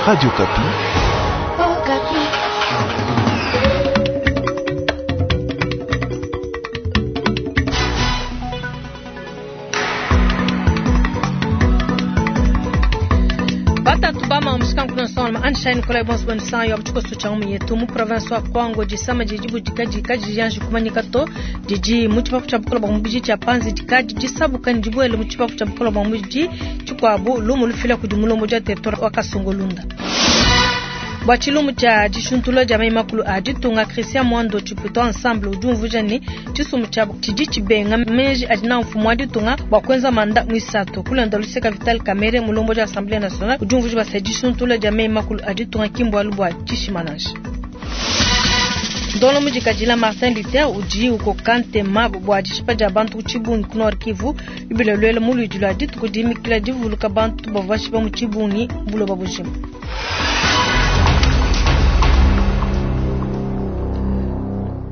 Radio Okapi. Okapi. Batatu bama mushikankuno nsonga Anshine Nikolai bonso bonisa yo tshikoso tsha mu yetu mu province wa Kwango disama didi budika kadiyanji kumanyika to didi mu tshipapu tshia bukola bua mubidi tshia panzi dikadi disabuka ne dibuele mu tshipapu tshia bukola bua mubidi tshikuabu lumu lufila kudi mulombodi wa territoire wa Kasongolunda. Bua tshilumbu tshia dishuntula dia mayi makulu a ditunga, Christian Mwando Tshiputo Ensemble udi umvuija ne tshisumbu tshiabu tshidi tshibenga meji adi nawu mfumu wa ditunga bua kuenza manda muisatu. Kulonda luseka Vital Kamerhe, mulombodi wa Assemblee nationale, udi umvuija bua se dishuntula dia meyi makulu a ditunga ki mbualu bua tshishima nansha. Ndonlo mudikadila Martin Luther udi ukoka ntema bua dishipa dia bantu ku tshibungi ku Nord Kivu lubila luela mu luidi lua dituku dimikila divuluka bantu bavua bashipa mu tshibungi buloba bujima.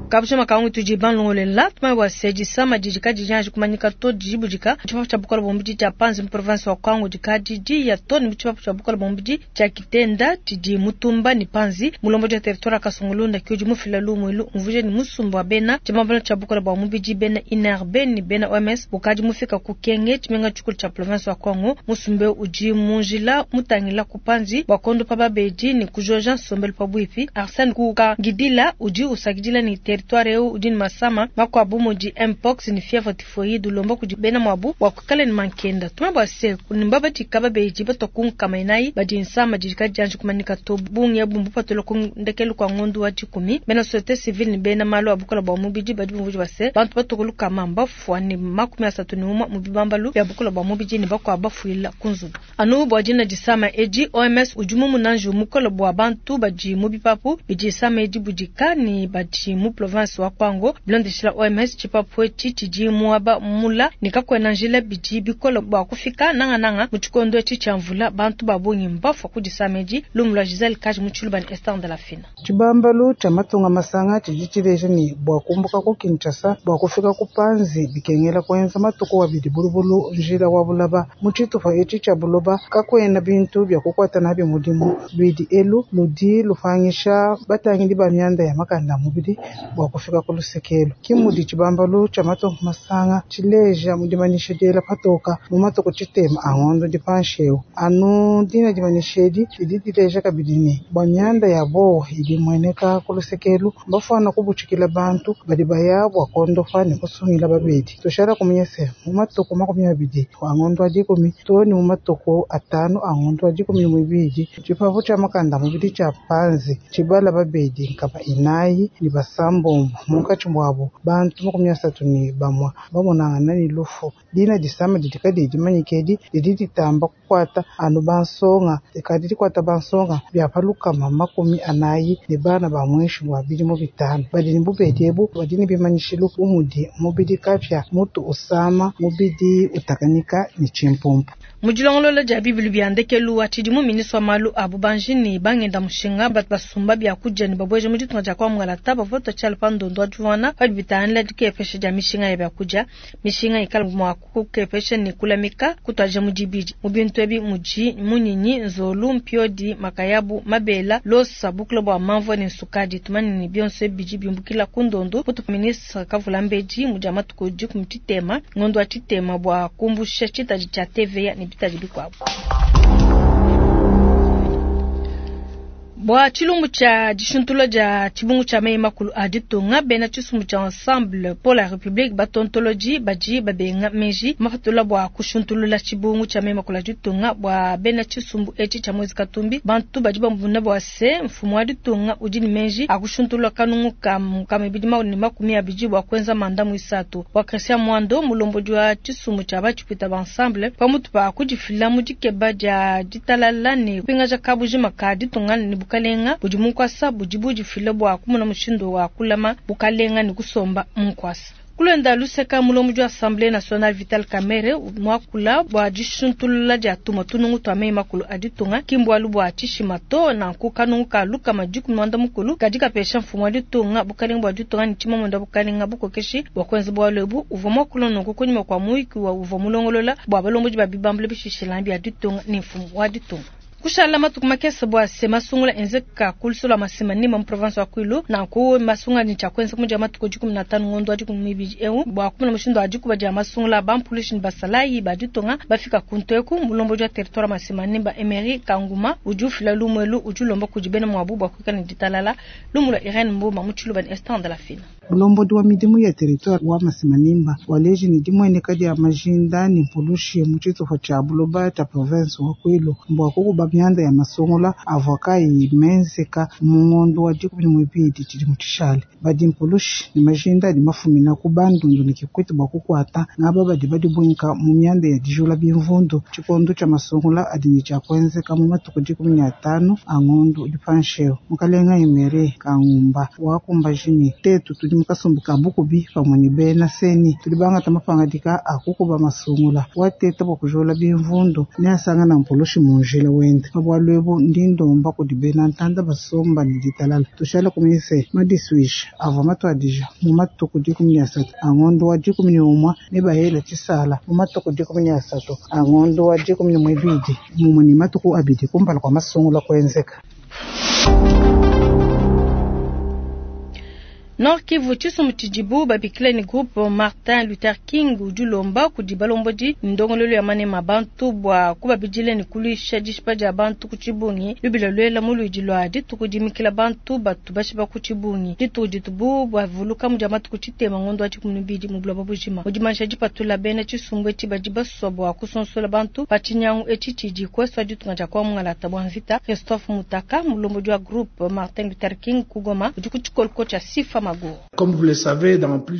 Kabusha makangu tudi banlongolela tumanye bua se disama didi kadidianji kumanyika to didi budika tshipapu tshia bukola bua mubidi tshia panzi mu province wa Kwango dikadi diya to ne mu tshipapu tshia bukola bua mubidi tshia Kitenda tshidi mutumba ne panzi. Mulombodi wa territoire wa Kasongolunda ke udi mufila lumu elu umvuija ne musumba wa bena tshibambalu tshia bukola bua mubidi bena INRB ne bena OMS ukadi mufika ku Kenge tshimenga tshikulu tshia province wa Kwango. Musumba eu udi mu njila mutangila ku panzi bua kondopa babedi ne kujoja nsombelu pabuipi. Arsene Kukangidila udi usakidila ne territoire eu udi ne masama makuabu mudi mpox ne fievre typhoïde, ulomba kudi bena muabu bua kuikala ne mankenda. Tumanye bua se ne mbabadika babedi batua ku nkama inayi badi nsama didi kadianji kumanyika to. Bungi ebu mbupatula ku ndekelu kua ngondu wa dikumi. Bena societe civile ne bena malu a bukola bua mubidi badi bumvuija bua se bantu batua ku lukama mbafua ne 31 mu bibambalu bia bukola bua mubidi ne bakuabu bafuila ku nzubu. Anu bua dina disama edi, OMS udi mumuna njiwu mukole bua bantu badi mu bipapu bidi disama edi budika ne badi mu province wa Kwango. Bilondeshila OMS, tshipapu etshi tshidi muaba mula ne kakuena njila, bidi bikole bua kufika nangananga mu tshikondo etshi tshia mvula. Bantu ba bungi mbafua ku disama edi. Lumu lua Giselle Kaji mu Tshiluba ne Esther Ndalafina. Tshibambalu tshia matunga masanga tshidi tshileja ne, bua kumbuka ku Kinshasa bua kufika ku Panzi bikengela kuenza matuku abidi bulubulu njila wa bulaba. Mu tshitupa etshi tshia buloba kakuena bintu bia kukuata nabi mudimu. Luidi elu ludi lupangisha batangidi ba mianda ya makanda a mubidi bua kufika ku luseke elu. Ke mudi tshibambalu tshia matunga masanga tshileja mu dimanyisha diela patoka mu matuku tshitema a ngondo udi panshi eu. Anu dina dimanyisha edi didi dileja kabidi ne, bua mianda ya buowa idi imueneka ku luseke elu, mbafuana kubutshikila bantu badi baya bua kuondopa ne kusungila babedi. Tushala kumanya se, mu matuku 20 a ngondo wa dikumi too ne mu matuku 5 a ngondo wa 12, tshipapu tshia makanda a mubidi tshia Panzi tshibala babedi 406, munkatshi muabu bantu 31 bamonangana ne lufu. Dina disama didi kadiyi dimanyike edi didi ditamba kukuata anu bansonga, dikadi dikuata bansonga bia pa 140 ne bana ba muinshi mua bidimu 5. Badi ne bubedi ebu badi ne bimanyishilu bu mudi mubidi kapia, mutu usama, mubidi utakanyika ne tshimpumpu. Mu dilongolola dia bibilu bia ndekelu wa tshidimu, ministre wa malu a bubanji ne bangenda mushinga batu basumba biakudia ne babueja mu ditunga dia kwa Mungalata bavua batua tshiala pa ndondo wa divuana padi bitangila dikepesha dia mishinga ya biakudia. Mishinga ikala mua kukepesha ne kulamika kutuadija mu dibidi. Mu bintu ebi mudi munyinyi, nzolu, mpiodi, makayabu, mabela, losa, bukula bua mamvua ne nsukadi. Tumanye ne bionso ebi bidi biumbukila ku ndondo kutu ministre Kavulambedi mu dia matuku 13 ngondo wa tshitema bua kumbusha tshitadi tshia TVA ne bitadi bikuabu. Bua tshilumbu tshia dishuntula dia tshibungu tshia meyi makulu a ditunga, bena tshisumbu tshia Ensemble pour la République batontolodi badi babenga meji mapatula bua kushuntulula tshibungu tshia meyi makulu a ditunga. Bua bena tshisumbu etshi tshia Moise Katumbi, bantu badi bamona bua se mfumu wa ditunga udi ne meji a kushuntulula kanungu ka 220 bua kuenza manda muisatu. Bua Christian Mwando, mulombodi wa tshisumbu tshia batshipwita ba Ensemble, pamutu pa kudifila mu dikeba dia ditalala ne kupingaja kabujima ka ditunga ne bukalenga budi mu nkuasa budi budifila bua kumona mushindu wa kulama bukalenga ne kusomba mu nkuasa. Kulonda luseka mulombodi wa Assemblée nationale Vital Kamerhe muakula bua dishuntulula dia tumue tunungu tua meyi makulu a ditunga ki mbualu bua tshishima to. Nanku kanungu ka 110 kadi kapesha mfumu wa ditunga bukalenga bua ditunga ne tshimamunda bukalenga bukokeshi bua kuenza bualu ebu. Uvua muakula nunku kunyima kua muyuki wa uvua mulongolola bua balombodi ba bibambalu bishishilangane bia ditunga ne mfumu wa ditunga. Kushala matuku makese bua se masungula enzeka ku lusolo lwa Masimanimba mu province wa Kwilu. Nanku masungula ne tshia kuenza mu dia matuku 15 ngondo wa 12 eu bua kumona mushindu wa dikuba dia masungula bampulushi ne basalayi ba ditunga bafika kuntu eku. Mulombodi wa territoire Masimanimba Emery Kanguma udi ufila lumuelu udi ulomba kudi bena muabu bua kuikala ne ditalala. Lumu lwa Irene Mboma mu Tshiluba ne Esther de la Fina. Mulombodi wa midimu ya territoire wa Masimanimba waleji ne dimweneka dia majinda ne mpulushi mu tshitupa tshia buloba tshia province wa Kwilu bua kukuba mianda ya masungula avua kayi menzeka mu ngondo wa 12 tshidimu tshishale. Badi mpulushi ne majinda adi mafumina ku Bandundu ne Kikwete bua kukuata ngaba badi badibwinka mu mianda ya dijula bimvundu tshikondo tshia masungula adi ne tshia kuenzeka mu matuku 15 a ngondo udi panshi. Mukalenga Emery Kangumba wakumbaji ne tetu tudi mukasumbu ka bukubi pamwe ne bena seni tudi bangata mapangadika a kukuba masungula wateta bua kujula bimvundu ne asangana mpulushi mu njila wende. Pabwalu ebu ndi ndomba kudi bena ntanda basomba ne ditalala tushala kumise madiswisha avua matuadija mu matuku 13 a ngondo wa 11 ne bahela tshisala mu matuku 13 a ngondo wa 12 mumwe ne matuku abidi kumpala kwa masungula kuenzeka. Nord Kivu tshisumbu tshidibu babikile ni groupe Martin Luther King udi ulomba kudi balombodi ndongololo ya manema bantu bua kubabidile ne kuluisha dishipa dia bantu ku tshibungi lubila lwela mu luidi lwa dituku dimikila bantu batu bashipa ku tshibungi dituku ditubu bavuluka mu dia matuku tshitema ngondo wa 12 mu buloba bujima. Mu dimansha dipatula bena tshisumbu etshi badi basua bua kusonsola bantu pa tshinyangu etshi tshidi kueswa ditunga dia kwa mungalata bua mvita. Christophe Mutaka mulombodi wa groupe Martin Luther King ku Goma udi ku tshikoloko tshia Sifa.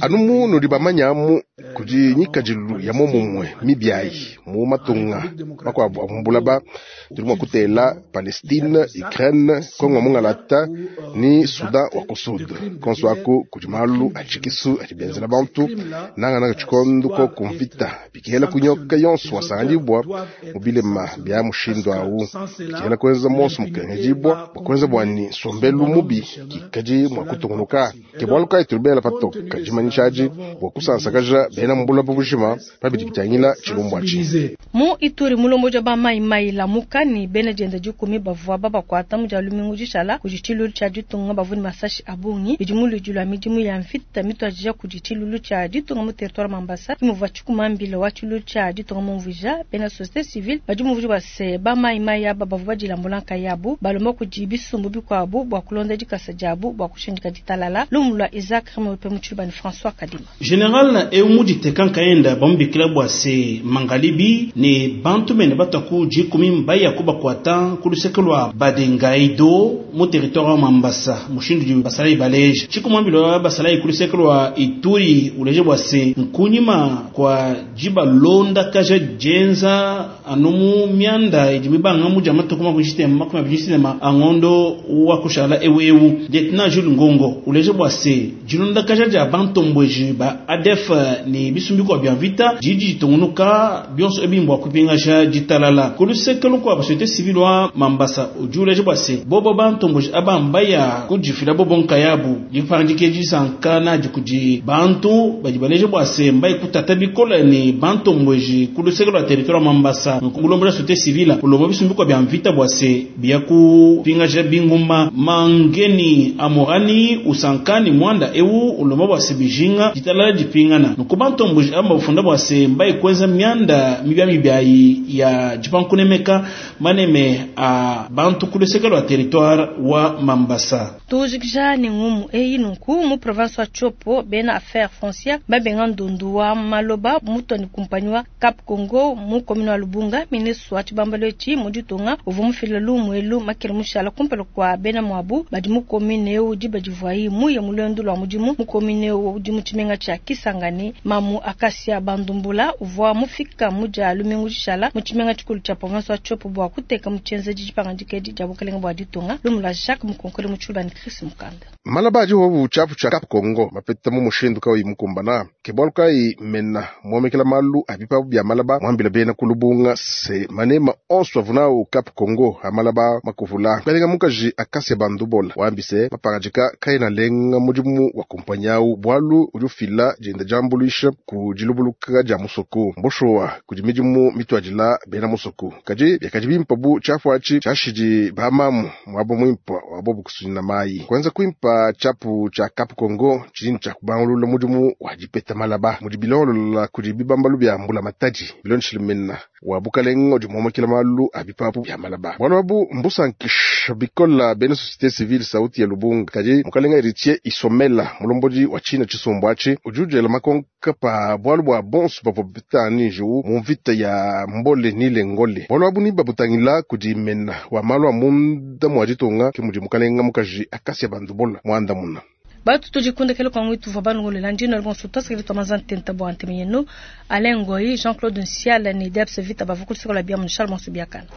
Anu mu nudi bamanyamu kudi nyikadilu ya momumwe mibiayi mu matunga makuabu a mbulaba tudi mua kutela Palestine, Ukraine, Kongo mungalata ni Sudan wa ku Sud. Konso aku kudi malu a tshikisu adi benzela bantu nangananga tshikondo ko kumvita bikihela kunyoka yonso wasanganyibwa mu bilema bya mushindu awu bikihela kuenza monso mukengedibwa bua kuenza bwani nsombelu mubi kikadi mua kutungunuka. Ke bualu kayi tulubela patoka dimanyishaji bua kusansakaja bena mbulaba bujima pabidi bitangila tshilumbu atshi. Mu Ituri mulomboja ba mai mai lamuka ni bena dienda dikumi bavua babakuata mu dia lumingu dishala kudi tshilulu tshia ditunga bavua ne masashi a bungi bidi mu luidi lua midimu ya mvita mituadija kudi tshilulu tshia ditunga mu territoire Mambasa kimuvua tshikumambila wa tshilulu tshia ditunga mumvuija bena société civile badi mumvuija bua se ba mai mai aba bavua badilambula nkayabu balomba kudi bisumbu bikuabu bua kulonda dikasa diabu bua kushindika ditalala. Lumu lwa Isaac Remope mu Tshiluba ne François Kadima. General eu muditeka nkaenda bamubikila bua se mangalibi ne bantu bene bataku dikumi mbaya kubakuata ku luseke lwa Badengaido mu territoire wa Mambasa mushindu di basalayi baleje tshikumambilo wa basalayi ku luseke lwa Ituri uleje bua se nkunyima kwa jibalonda kaja jenza anumu mianda idi mibanga mu matuku makumi abidi tshitema angondo wa kushala ewewu. Lieutenant Jules Ngongo uleje bua se dilonda kaja dia bantombweji ba ADF ni bisumbiko bya vita jiji jitungunuka bionso ebimbwa kupingasha ditalala ku luseke lukwa société civile wa Mambasa ujuleje bua se bobo bantombweji abambaya kujifila bobo nkayabu dipangike disankana dikudi bantu badi baleje bua se mbayi kutata bikola ni bantombweji ku luseke lwa territoire Mambasa nkulombola société civile ulomba bisumbiko bya mvita bua se bya kupingasha binguma mangeni amorani usankani mwanda ewu ulomba bua se bijinga ditalala dipingana nukubantombuji amba bufunda bua se mbayi kwenza myanda mibya mibyayi ya dipankunemeka maneme a bantu ku luseke lwa territoire wa Mambasa. Tujikija ni ngumu eyi nunku mu province wa Tshopo bena affaire foncière babenga ndundu wa maloba muto ni kumpanyi wa Cap Congo mu commune wa Lubunga ministre wa tshibambalo etshi mu ditunga uvua mufila lumu elu makele mushala kumpala kwa bena mwabu badi mu commune eu diba divuayi muye mulwendu lwa mudimu mu commune eu udi mu tshimenga tshia Kisangani. Mamu Akasia Bandumbula uvua mufika mu dia lumingu dishala mu tshimenga tshikulu tshia province wa Tshopo bua kuteka mu tshienzedi dipangandika edi dia bukalenga bua ditunga. Lumu lwa Jacques Mukonkole mu Tshiluba ne Chris Mukanda. Malaba adi wobu tshiapu tshia Cap Congo mapeta mu mushindu kayi mukumbana ke bualu kayi mena muomekela malu abipabu bia malaba muambila bena kulubunga se manema onso avunao Cap Congo amalaba makuvula kalenga mukaji Akasia Bandubola wambise mapangadika kaena lenga mudimu wa kumpanyau bualu udi ufila dienda diambuluisha. kuambuluisha ku dilubuluka dia musoko. Mboshowa kudi midimu mituadila bena musoko, kadi biakadi bimpa bu tshiapu atshi tshiashidi bamamu muaba muimpa wa bobu kusunyina mayi. Kuenza kuimpa tshiapu tshia Cap Congo tshidi ne tshia kubangulula mudimu wa dipeta malaba mudi bilongolola kudi bibambalu bia mbula matadi bilondeshile mena wa bukalenga udi muomakila malu a bipapu bia malaba. Bualu abu mbusankisha bikola bena société civile sauti ya Lubunga, kadi mukalenga Héritier Isomela mulombodi wa tshina tshisumbu atshi udi udiela makonka pa bualu bua bonso bavua bapeta njiwu mu mvita ya mbole ni ngole. Bualu abu ni babutangila kudi mena wa malu a munda mua ditunga ke mudi mukalenga mukaji Akasia Bandubola muandamuna. Batu tudikundekele kwa ngwitu vwa banungolela ndino bonso tasikili twamaza ntenta bwa nteme yenu Alain Ngoyi, Jean-Claude Nsiala ni Debs Vita bavukulisikola bia mu Charles Monsubiakana.